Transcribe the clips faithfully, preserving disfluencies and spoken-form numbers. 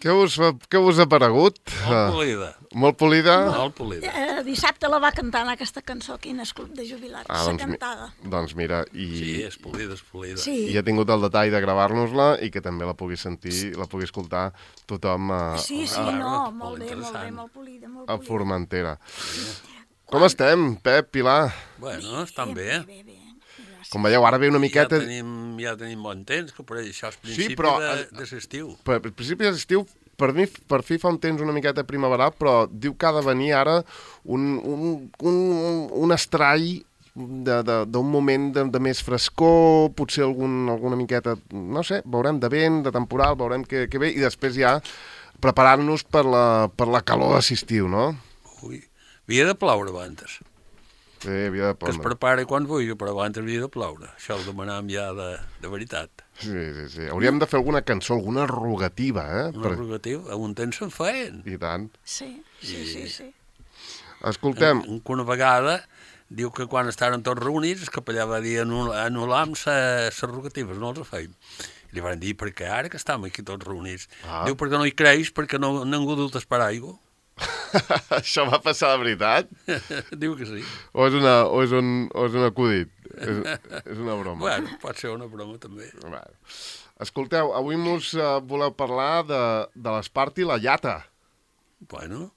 Què us, què us ha paregut? Molt polida. Molt polida? Molt polida. Eh, dissabte la va cantar en aquesta cançó aquí en el Club de Jubilats, Ah, la doncs, mi- cantada. doncs mira, i, Sí, és polida, és polida. Sí, i he tingut el detall de gravar-nos-la i que també la pugui sentir, la pugui escoltar tothom a, sí, sí, Ah, no, molt molt bé, molt bé, interessant. molt polida, molt a polida. Formentera. Com estem, Pep, Pilar? Bueno, estan bé. Bé, bé, gràcies. Com veieu, ara ve una Ja miqueta... tenim, ja tenim bon temps, que per això és Sí, principi però, de, eh, de l'estiu. Per, per principi d'estiu, per mi, per fi fa un temps una miqueta primaveral, però diu que ha de venir ara un, un, un, un estrall de- de- d'un moment de, de més frescor, potser algun, alguna miqueta, no sé, veurem de vent, de temporal, veurem què, què ve, i després ja preparant-nos per la, per la calor de l'estiu, no? Ui, havia de ploure abans. Sí, havia de Que es prendre. prepari quan vulgui, però abans havia de ploure. Això ho demanàvem ja de, de veritat. Sí, sí, sí. Hauríem de fer alguna cançó, alguna rogativa, eh? Un Per... rogatiu, a un temps se'n feien. I tant. Sí, sí, sí, sí. Escoltem, En, que una vegada diu que quan estaven tots reunits el capellà va dir anul- anul·lam les rogatives, no els feim. I li van dir, perquè ara que estem aquí tots reunits. Ah. Diu, perquè no hi creix, perquè no, no han dut esperar aigua. això va passar de veritat? Diu que sí. O és, una, o és, un, o és un acudit? És, és una broma. Bueno, pot ser una broma també. Bueno. Escolteu, avui mos uh, voleu parlar de, de l'espart i la llata. Bueno,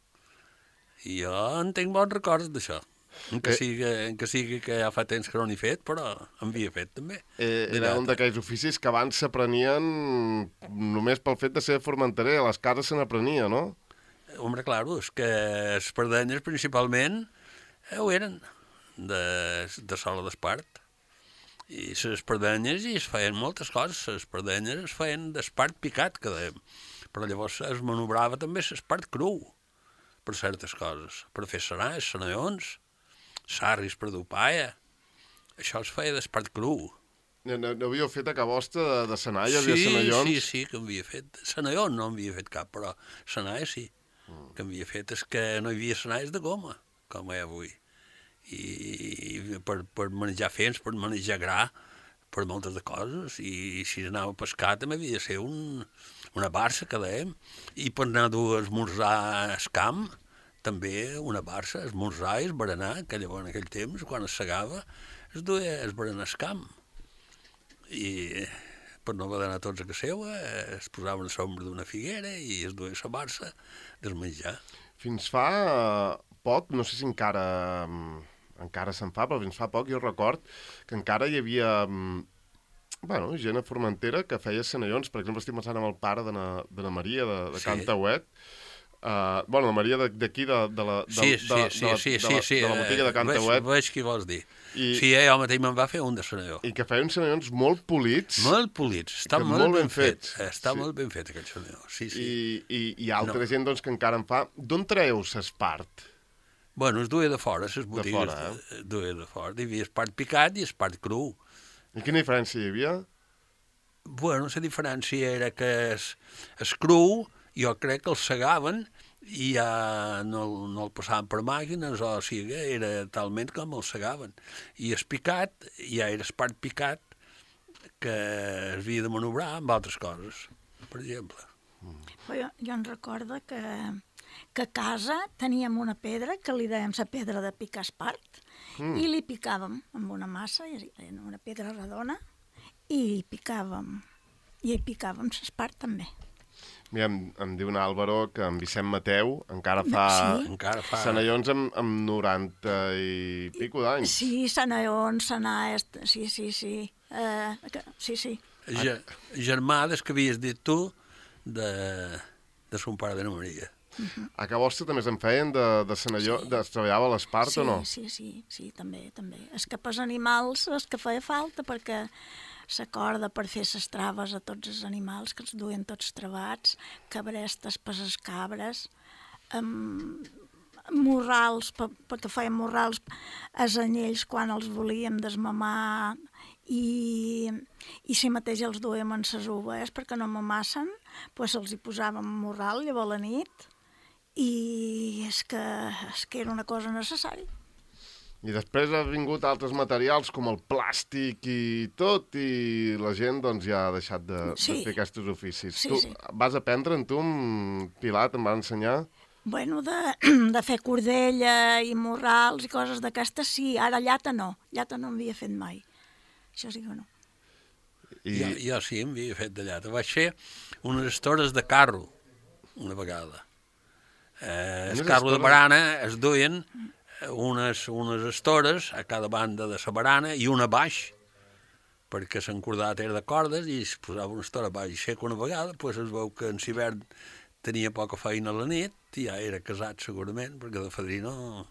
jo en tinc bons records d'això. En que, Eh. sigui, en que sigui que ja fa temps que no n'he fet, però en havia fet també. Eh, De era un llata. d'aquells oficis que abans s'aprenien només pel fet de ser formenterer. A les cases se n'aprenia, no? Home, clar, és que els perdenyes principalment eh, ho eren de, de sola d'espart. I les perdenyes i es feien moltes coses. Les perdenyes es feien d'espart picat, que dèiem. Però llavors es manobrava també l'espart cru per certes coses. Per fer senars, senallons, sarris per dur paia. Això es feia d'espart cru. No, no, no havíeu fet a ca vostra de, de senar, hi Sí, havia senallons? sí, sí, que havia fet. Senallons no en havia fet cap, però senall sí. Mm. Que havia fet és que no hi havia senalls de goma, com hi ha avui. I, i per, per manejar fens, per manejar gra, per moltes de coses. I si anava a pescar també havia de ser un, una barça, que dèiem. I per anar a dur a esmorzar al camp, també una barça, esmorzar i esberenar, que llavors en aquell temps, quan es segava, es duia a esberenar al camp. I per no haver d'anar tots a casa seva, eh, es posaven a l'ombra d'una figuera i es duia la barça del menjar. Fins fa eh, poc, no sé si encara, mm, encara se'n fa, però fins fa poc jo record que encara hi havia mm, bueno, gent a Formentera que feia senallons. Per exemple, estic pensant en el pare d'Anna de Maria, de, de Sí. Can Tauet. Uh, bueno, la Maria de- d'aquí, de, de, la, de, Sí, de, sí, de, sí, la- sí, de, sí, la, sí, de la botiga de Can veig, Tauet, veig què vols dir. I- Sí, eh, jo mateix me'n va fer un de senalló. i que feia uns senallons molt polits Molt polits, està que molt, molt ben ben fet. fets. Està Sí. molt ben fet aquell senalló, sí, sí. i, i, i altra No. gent doncs, que encara en fa. D'on treu l'espart? Bueno, es duia de fora, les botigues fora, eh? de, duia de fora. Hi havia espart picat i espart cru. I quina diferència hi havia? Bueno, la diferència era que es, es cru, jo crec que el segaven i ja no, no el passaven per màquines, o sigui, era talment com el segaven. I el picat, ja era espart picat, que es havia de manobrar amb altres coses, per exemple. Però jo, jo en recordo que, que a casa teníem una pedra que li dèiem la pedra de picar espart mm. i li picàvem amb una massa, en una pedra redona, i hi picàvem, i hi picàvem l'espart també. Mira, em, em diu un Álvaro que en Vicent Mateu encara fa Sí. Encara fa... senallons amb, amb noranta i pico d'anys. Sí, senallons, senars, sí, sí, sí, uh, que, sí, sí. Ge germà, des que havies dit tu, de, de son pare de Maria. A ca vostra també se'n feien de, de senalló, Sí. de, es treballava a l'espart Sí, o no? sí, sí, sí, també, també. És que pels animals és que feia falta, perquè la corda per fer les traves a tots els animals, que els duien tots travats, cabrestes per les cabres, um, morrals, per, perquè feien morrals als anyells quan els volíem desmamar, i, i si mateix els duem en les uves perquè no mamassen, doncs els hi posàvem morral llavors a la nit, i és que, és que era una cosa necessària. I després ha vingut altres materials com el plàstic i tot, i la gent doncs ja ha deixat de, Sí. de fer aquests oficis. Sí, tu sí. vas aprendre en tu, amb Pilar, te'n va ensenyar? Bueno, de, de fer cordella i morrals i coses d'aquestes, sí. Ara llata no. Llata no en havia fet mai. Això sí que no. I... Jo, jo sí, em havia fet de llata. Vaig fer unes estores de carro, una vegada. Eh, el Unes carro de estores? barana es duien unes, unes estores a cada banda de la barana i una baix, perquè l'encordat era de cordes i es posava una estora baix i seca una vegada, doncs es veu que en l'hivern tenia poca feina a la nit i ja era casat segurament, perquè de fadrí no,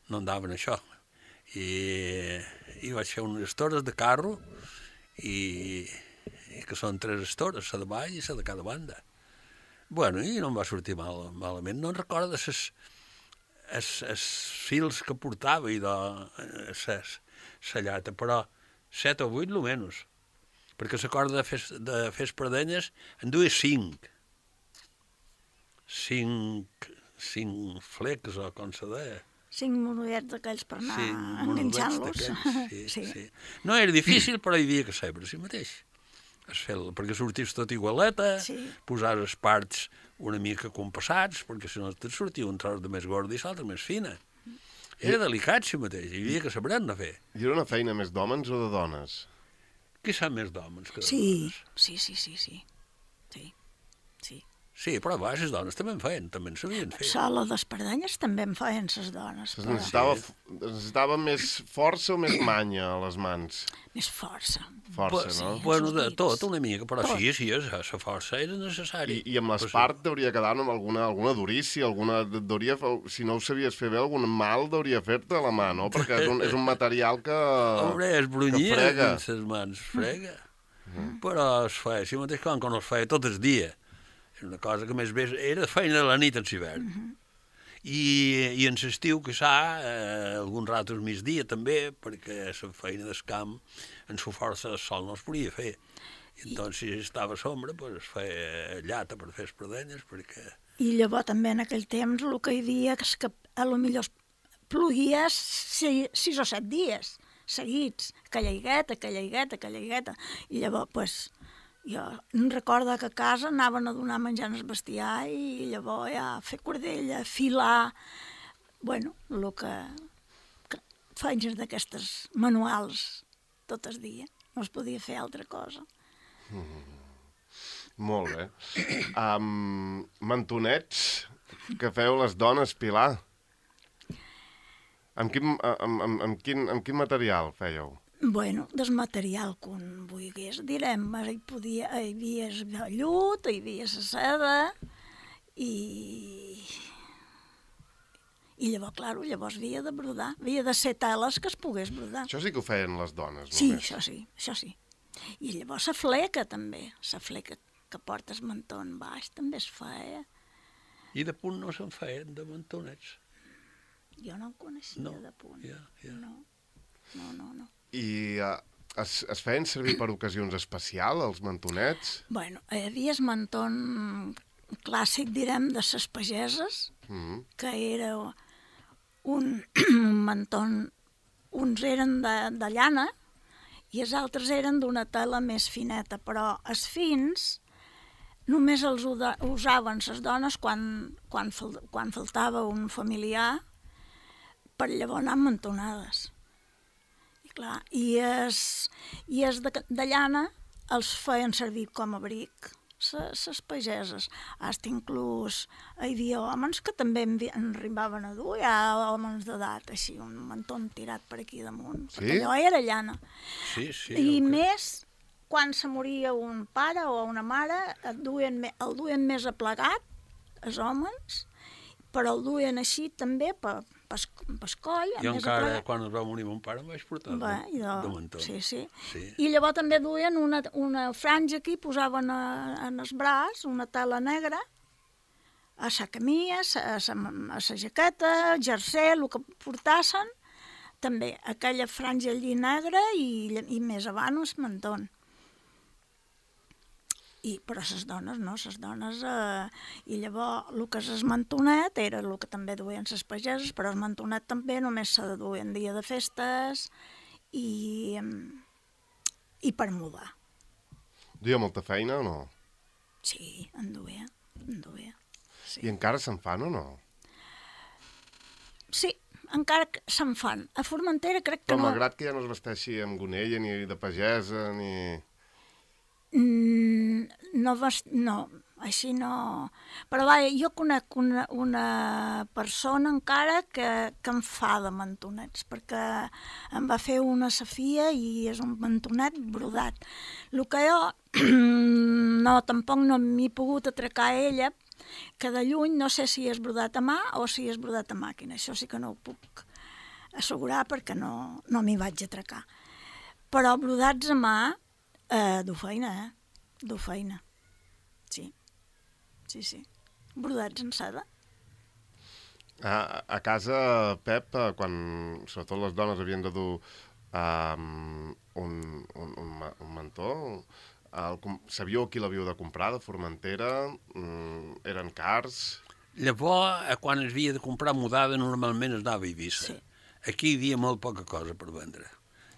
no andaven això. I, i vaig fer unes estores de carro i, i que són tres estores, la de baix i la de cada banda. Bueno, i no em va sortir mal, malament. No en recordo de ses, els, els fils que portava i de la llata, però set o vuit, almenys. Perquè la corda de fer, de fer espardenyes en duia cinc. Cinc, cinc flecs, o com se deia. Cinc monolets d'aquells per anar Sí, enganxant-los. sí, sí. sí. No era difícil, però hi havia que saber si mateix. Es fer, perquè sortís tot igualeta, Sí. posar les parts una mica compassats, perquè si no et sortia un tros de més gorda i l'altre més fina. Era delicat si mateix, hi havia que saber-ne fer. I era una feina més d'hòmens o de dones? Qui sap més d'homes que de Sí, dones? sí, sí, sí, sí. Sí, sí. Sí, però va, les dones també en feien, també en sabien fer. Sola d'espardenyes també en feien les dones, Es però necessitava, es necessitava més força o més manya a les mans? més força. Força, Sí, no? els Bueno, de dits. tot, una mica, però Tot. sí, sí, la força era necessària. I, i amb l'espart hauria quedat amb alguna, alguna durícia, alguna, hauria, si no ho sabies fer bé, algun mal hauria fer-te a la mà, no? Perquè és un, és un material que, Hombre, es que brunyia frega. amb les mans, frega. Mm. Però es feia així mateix com quan es feia tot el dia. Era una cosa que més bé era feina de la nit en l'hivern. Mm -hmm. I, I en l'estiu, que s'ha, eh, algun rato al migdia també, perquè la feina del camp, en la força del sol no es podia fer. I doncs, si estava a sombra, pues, es feia llata per fer espardenyes, perquè... I llavors també en aquell temps el que hi havia és que a lo millor ploguia sis, sis o set dies seguits, aquella higueta, aquella higueta, aquella higueta. I llavors, pues, jo em recordo que a casa anaven a donar menjar al bestiar i llavors ja fer cordella, filar, bueno, el que, que feines d'aquestes manuals tot el dia. No es podia fer altra cosa. Molt bé. Um, mantonets que feu les dones, Pilar. Amb quin, amb, amb, amb, quin, amb quin material fèieu? Bueno, del material que un vulgués, direm, hi, podia, hi havia el vellut, hi havia la seda, i... I llavors, clar, llavors havia de brodar, havia de ser teles que es pogués brodar. Això sí que ho feien les dones, Sí, només. això sí, això sí. I llavors la fleca, també, la fleca que porta el mantó en baix, també es feia. I de punt no se'n feien, de mantonets. Jo no en coneixia No, de punt. ja, ja. No, no, no. no. I uh, es, es feien servir per ocasions especials, els mantonets? Bueno, hi havia el mantó clàssic, direm, de les pageses, Mm. que era un, un mantó, uns eren de, de llana i els altres eren d'una tela més fineta, però els fins només els usaven les dones quan, quan, fal, quan faltava un familiar per llavors anar amb mantonades. I clar, i es, i es de, de llana els feien servir com a abric, les pageses. Hasta inclús hi havia homes que també en arribaven a dur, ja homes d'edat, així, un mantó tirat per aquí damunt, Sí? perquè allò era llana. Sí, sí. I el que- més, quan se moria un pare o una mare, el duien, me- el duien més aplegat, els homes, però el duien així també per, per, per coll. Jo més encara, aplegat. quan es va morir mon pare, em vaig portar de, Va, i de de, mantó. sí, sí, Sí. I llavors també duien una, una franja aquí, posaven a, en el braç una tela negra, a la camisa, a la jaqueta, jersei, el que portassin, també aquella franja allí negra i, i més avant el mantó. I, però les dones no, les dones... Eh, I llavors el que és el mantonet era el que també duien les pageses, però el mantonet també només s'ha de dur en dia de festes i, i per mudar. Duia molta feina o no? Sí, en duia, en duia. Sí. I encara se'n fan o no? Sí, encara que se'n fan. A Formentera crec que Però no... malgrat que ja no es vesteixi amb gonella, ni de pagesa, ni... Mm, no, vas, no, així no... Però vaja, jo conec una, una persona encara que, que em fa de mantonets, perquè em va fer una safia i és un mantonet brodat. El que jo no, tampoc no m'hi he pogut atracar a ella, que de lluny no sé si és brodat a mà o si és brodat a màquina. Això sí que no ho puc assegurar perquè no, no m'hi vaig atracar. Però brodats a mà, eh, du feina, eh? Du feina. Sí, sí, sí. Brodats en seda. A, a casa, Pep, eh, quan sobretot les dones havien de dur um, un, un, un, ma- un mantó, el, com- sabíeu qui l'havíeu de comprar, de Formentera? Mm, eren cars? Llavors, eh, quan es havia de comprar mudada, normalment es anava a Eivissa. Sí. Aquí hi havia molt poca cosa per vendre.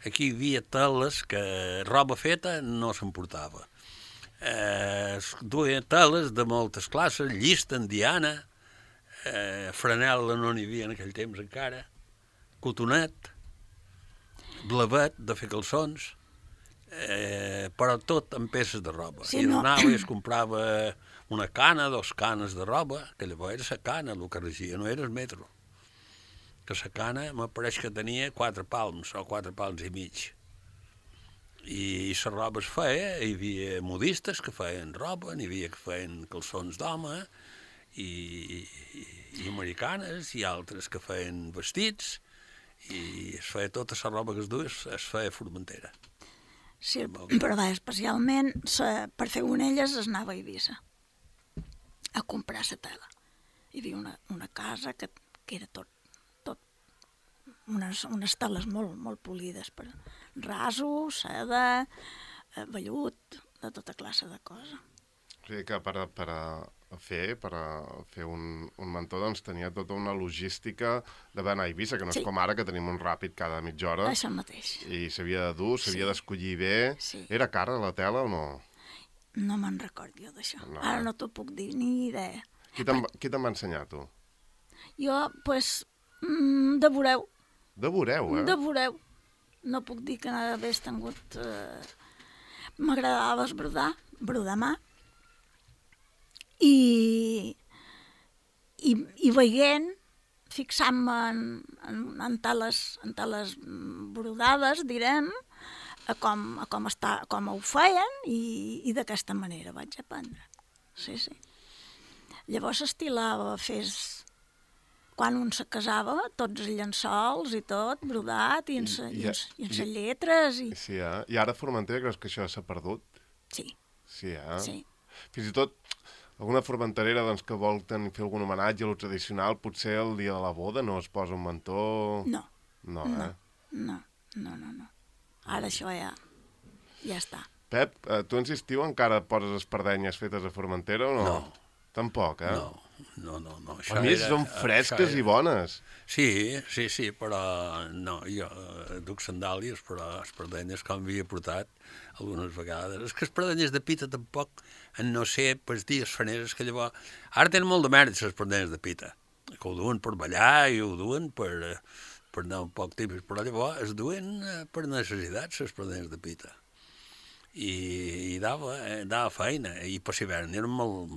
Aquí hi havia teles que roba feta no s'emportava. Eh, es duien teles de moltes classes, llista, diana, eh, franel·la no n'hi havia en aquell temps encara, cotonet, blavet de fer calçons, eh, però tot amb peces de roba. Sí, I es no. anava i es comprava una cana, dos canes de roba, que llavors era la cana el que regia, no era el metro. Que la cana m'apareix que tenia quatre palms o quatre palms i mig. I la roba es feia, hi havia modistes que feien roba, n'hi havia que feien calçons d'home, i, i, i americanes, i altres que feien vestits, i es feia tota la roba que es duia, es, es feia a Formentera. Sí, però va, especialment sa, per fer gonelles es anava a Eivissa a comprar la tela. Hi havia una, una casa que, que era tot, tot unes, unes teles molt, molt polides, per raso, seda, eh, vellut, de tota classe de cosa. O sigui que per, a- per a fer, per a fer un, un mantó doncs tenia tota una logística d'haver d'anar a Eivissa, que no és Sí. com ara, que tenim un ràpid cada mitja hora. Això mateix. I s'havia de dur, s'havia Sí. d'escollir bé. Sí. Era cara la tela o no? No me'n record jo d'això. No, Ara eh? no t'ho puc dir ni idea. Qui te'n va- qui te'n va ensenyar, tu? Jo, doncs, pues, mm, de veureu, De veureu, eh? de veureu. No puc dir que hagués tingut... Eh... M'agradava brodar, brodar a mà. I, i, i veient, fixant-me en, en, en, tales, en tales brodades, direm, a com, a com, està, com ho feien i, i d'aquesta manera vaig aprendre. Sí, sí. Llavors estilava, fes... Quan un se casava, tots els llençols i tot, brodat, i en, sa, I- i, en, i en i- ses lletres. I... Sí, eh? I ara a Formentera creus que això s'ha perdut? Sí, Sí, eh? sí. Fins i tot alguna formenterera doncs, que vol tenir, fer algun homenatge a lo tradicional, potser el dia de la boda no es posa un mantó... No, No, no, eh? no, no, no, no. Ara això ja, ja està. Pep, eh, tu ens estiu encara poses espardenyes fetes a Formentera o no? No. Tampoc, eh? No, no, no. no. A més, són fresques i bones. Sí, sí, sí, però no, jo eh, duc sandàlies, però espardenyes com havia portat algunes vegades. És que espardenyes de pita tampoc, en no sé, pues, dies faneres que llavors... Ara tenen molt de mèrit les espardenyes de pita, que ho duen per ballar i ho duen per, eh, per anar un poc tipus, però llavors es duen eh, per necessitats les espardenyes de pita. I, i dava, eh, dava feina, i per l'hivern eren molt,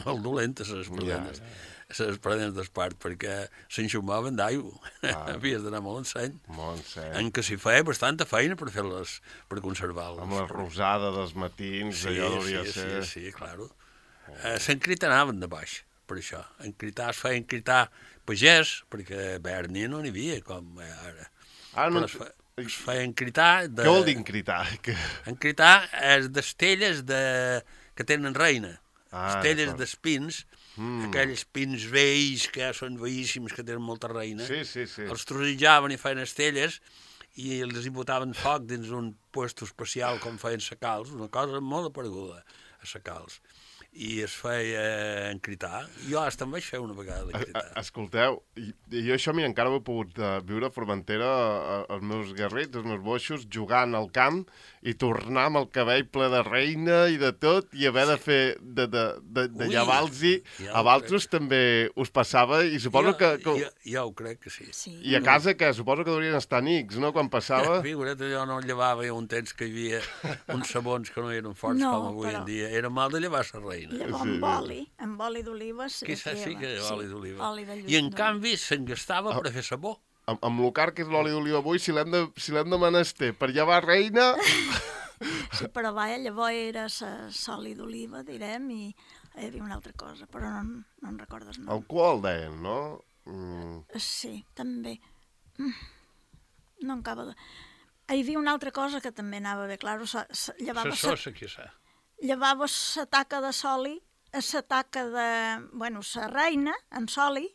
molt dolentes les espardenyes. Ja, Les espardenyes d'espart, perquè s'enxumaven d'aigua. Ah. Havies d'anar molt en seny. Molt cert. En què s'hi feia bastanta feina per fer-les, per conservar-les. Amb la rosada dels matins, Sí, allò hauria sí, ser... sí, sí, claro. Eh, S'encritenaven de baix, per això. Encritar, es feia encritar pagès, perquè Berni no n'hi havia, com ara. Ah, no... Però es, fe, es feia encritar... De, Què vol dir encritar? Que... Encritar és d'estelles de... que tenen reina. Ah, Estelles d'acord. d'espins, Mm. aquells pins vells que ja són veíssims, que tenen molta reina. Sí, sí, sí. Els trossejaven i feien estelles i els hi botaven foc dins un puesto especial com feien secals, una cosa molt apareguda. a Sacals, i es feia encritar. Jo hasta em vaig fer una vegada d'encritar. Escolteu, jo això, mira, encara ho he pogut uh, viure a Formentera, uh, els meus guerrits, els meus boixos, jugant al camp i tornar amb el cabell ple de reina i de tot, i haver de fer, de, de, de, de llevar-los-hi. Ja a vosaltres també us passava, i suposo jo, que... que... Jo, jo ho crec que sí. sí. I a casa, que suposo que deurien estar amics, no?, quan passava. Figura't, jo no llevava, hi ha un temps que hi havia uns sabons que no eren forts no, com avui però... en dia. Era mal de llevar la reina. Llavors sí, amb oli, amb oli d'oliva sí, Quizás sí que sí, oli d'oliva. Oli I en canvi se'n gastava oh. per fer sabó. Amb, amb lo car que és l'oli d'oliva avui, si l'hem de, si l'hem de menester per llevar reina... Sí, però vaja, llavors era l'oli d'oliva, direm, i hi havia una altra cosa, però no, no en recordes nom. Alcohol, deien, no? Mm. Sí, també. Mm. No em acaba de... Hi havia una altra cosa que també anava bé, clar, llevava... La sosa, quizà. Llevava la taca de soli, la taca de... Bueno, la reina, en soli,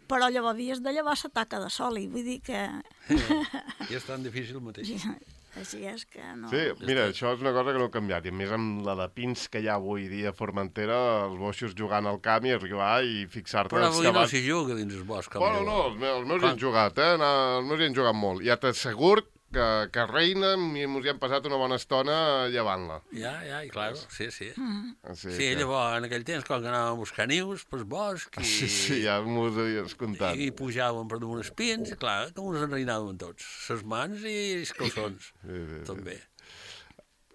però llavors havies de llevar la taca de soli, vull dir que... I és tan difícil el mateix. Així és que no... Sí, mira, això és una cosa que no ha canviat, i a més amb la de pins que hi ha avui dia a Formentera, els boixos jugant al camp i arribar i fixar-te... Però avui no s'hi juga dins el bosc. Bueno, no, els meus, els meus hi han jugat, eh? No, els meus hi han jugat molt. Ja t'assegur que, que reina i ens hi hem passat una bona estona llevant-la. Ja, ja, i clar, sí, sí. Mm. Sí, sí que... llavors, en aquell temps, quan anàvem a buscar nius pel bosc... I... Sí, sí, ja m'ho havies contat. I, i pujàvem per damunt els pins, i clar, que ens enreinàvem tots. Les mans i els calçons, sí, sí, també.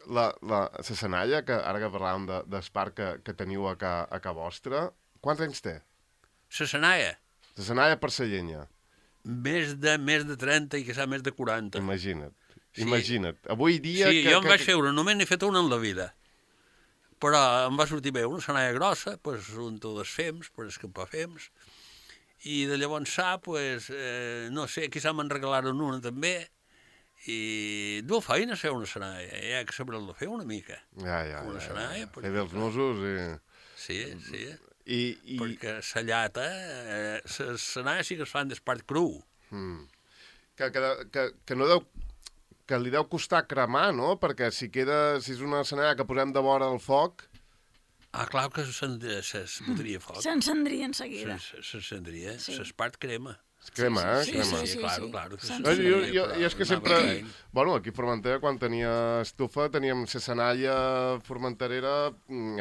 La, la, la senalla, que ara que parlàvem de, d'espart que, que teniu a ca, a ca vostra, quants anys té? La senalla? La senalla per sa llenya. Més de, més de trenta i que més de quaranta. Imagina't, sí. imagina't. Avui dia... Sí, que, jo em que, vaig fer una, només n'he fet una en la vida. Però em va sortir bé una senalla grossa, pues, un to dels fems, per escampar fems, i de llavors sa, pues, eh, no sé, quizà me'n regalaren una també, i du feina fer una senalla, ja que sabrem-la fer una mica. Ja, ja, una ja, senalla, ja. Fer bé els nusos i... Sí, sí. I, i... Perquè la llata, eh, les senalles sí que es fan d'espart cru. Mm. Que, que, que, que no deu... que li deu costar cremar, no? Perquè si queda, si és una senalla que posem de vora al foc... Ah, clar que s'encendria foc. S'encendria en seguida. S'encendria, sí. L'espart crema. Es crema, eh? Sí, crema. sí, sí, sí, claro, sí. claro. Sí, no, jo, jo, jo és que sempre... Bueno, aquí a Formentera, quan tenia estufa, teníem la senalla formenterera,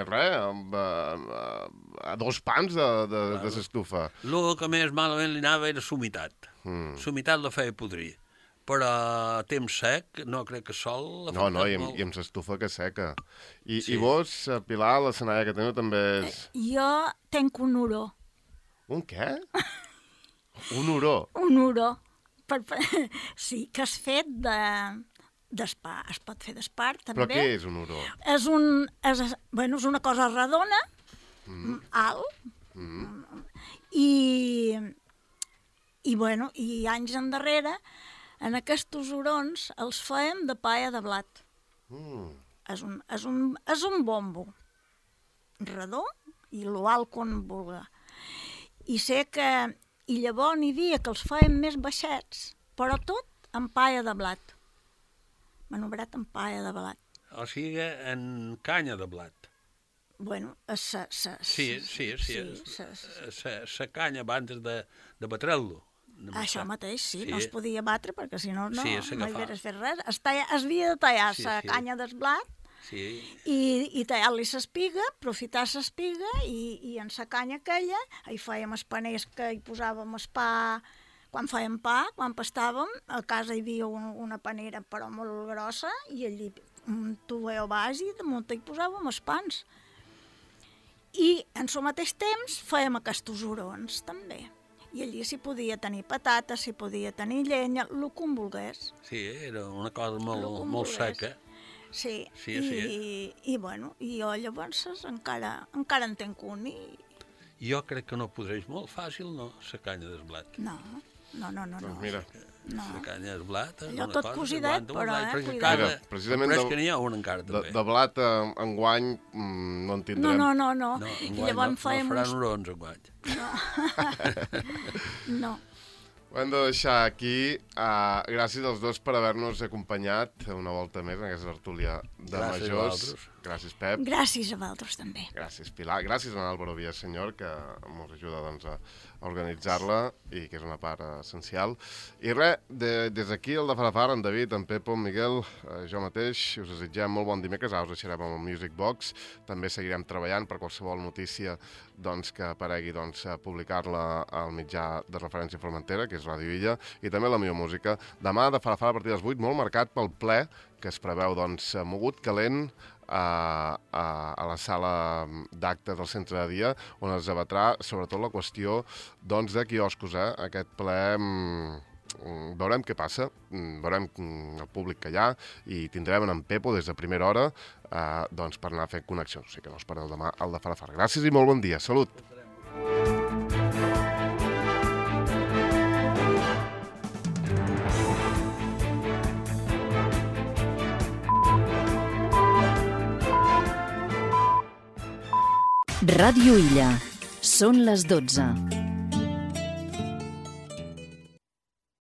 res, amb, a, a dos pans de, de, claro. de l'estufa. El que més malament li anava era l'humitat. Mm. L'humitat la feia podrir. Però temps sec, no crec que sol... No, no, i amb, i amb l'estufa que seca. I, sí. I vos, Pilar, la senalla que teniu també és... Jo tenc un uró. Un què? Un uró? Un uró. Per, per, sí, que és fet de... d'espart. Es pot fer d'espart, també. Però què és un uró? És, un, és, bueno, és una cosa redona, mm. alt, mm. i... I, bueno, i anys endarrere, en aquests urons els fèiem de paia de blat. Mm. És, un, és, un, és un bombo redó i l'alt quan vulga. I sé que... I llavors n'hi havia que els fèiem més baixets, però tot amb paia de blat. Manobrat amb paia de blat. O sigui, en canya de blat. Bueno, sa, sa, sí, sí, sí. La canya abans de, de batre'l-lo. Això mateix, sí, sí, no es podia batre perquè si no, no, sí, no hi hagués fet res. Es, talla, es havia de tallar la sí, sí. canya del blat sí. i, i tallar-li l'espiga, aprofitar l'espiga i, i en la canya aquella hi fèiem els paners que hi posàvem el pa, quan fèiem pa, quan pastàvem, a casa hi havia un, una panera però molt grossa i allí un tubeu baix i damunt hi posàvem els pans. I en el mateix temps fèiem aquests urons també. I allí s'hi podia tenir patates, s'hi podia tenir llenya, el que en volgués. Sí, era una cosa molt, molt seca. Sí, sí, i, sí. I, i bueno, i jo llavors encara, encara en tenc un. I... Jo crec que no podreix molt fàcil, no, la canya del blat. No, no, no, no. Doncs mira. No. La canya del blat... Allò tot cosidet, però, eh, cuidat. Mira, precisament però és que n'hi ha un encara, també. De, de blat enguany mm, no en tindrem. No, no, no, no. No, I llavors no, fèiem no faran uns... urons enguany. No. No. Ho hem de deixar aquí. Uh, gràcies als dos per haver-nos acompanyat una volta més en aquesta tertúlia de gràcies majors. Gràcies, Pep. Gràcies a vosaltres també. Gràcies, Pilar. Gràcies a Álvaro Villaseñor, que ens ajuda doncs, a organitzar-la i que és una part essencial. I res, de, des d'aquí, el de Farafar, en David, en Pepo, en Miguel, eh, jo mateix, us desitgem molt bon dimecres, ara us deixarem amb el Music Box. També seguirem treballant per qualsevol notícia doncs, que aparegui doncs, a publicar-la al mitjà de referència Formentera, que és Ràdio Illa, i també la meva música. Demà, de Farafar, a partir de les vuit, molt marcat pel ple, que es preveu doncs, mogut, calent, A, a, a la sala d'actes del centre de dia, on es debatrà sobretot la qüestió doncs, de quioscos. Eh? Aquest ple mm, veurem què passa, mm, veurem el públic que hi ha i tindrem en Pepo des de primera hora eh, doncs, per anar fent connexions. O sigui que no us perdeu demà al de Farafar. Gràcies i molt bon dia. Salut! Ràdio Illa. Són les dotze.